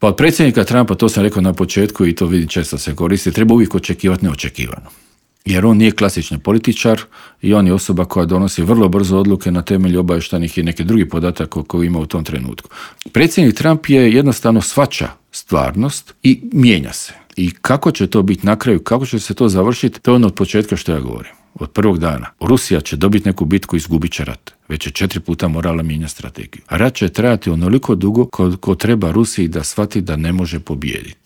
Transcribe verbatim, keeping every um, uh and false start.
Pa od predsjednika Trumpa, to sam rekao na početku i to vidim često se koristi, treba uvijek očekivati neočekivano. Jer on nije klasični političar i on je osoba koja donosi vrlo brzo odluke na temelju obavještajnih i neke drugih podataka koje ima u tom trenutku. Predsjednik Trump je jednostavno shvaća stvarnost i mijenja se. I kako će to biti na kraju, kako će se to završiti, to je ono od početka što ja govorim. Od prvog dana. Rusija će dobiti neku bitku i izgubit će rat. Već je četiri puta morala mijenjati strategiju. A rat će trajati onoliko dugo koliko treba Rusiji da shvati da ne može pobijediti.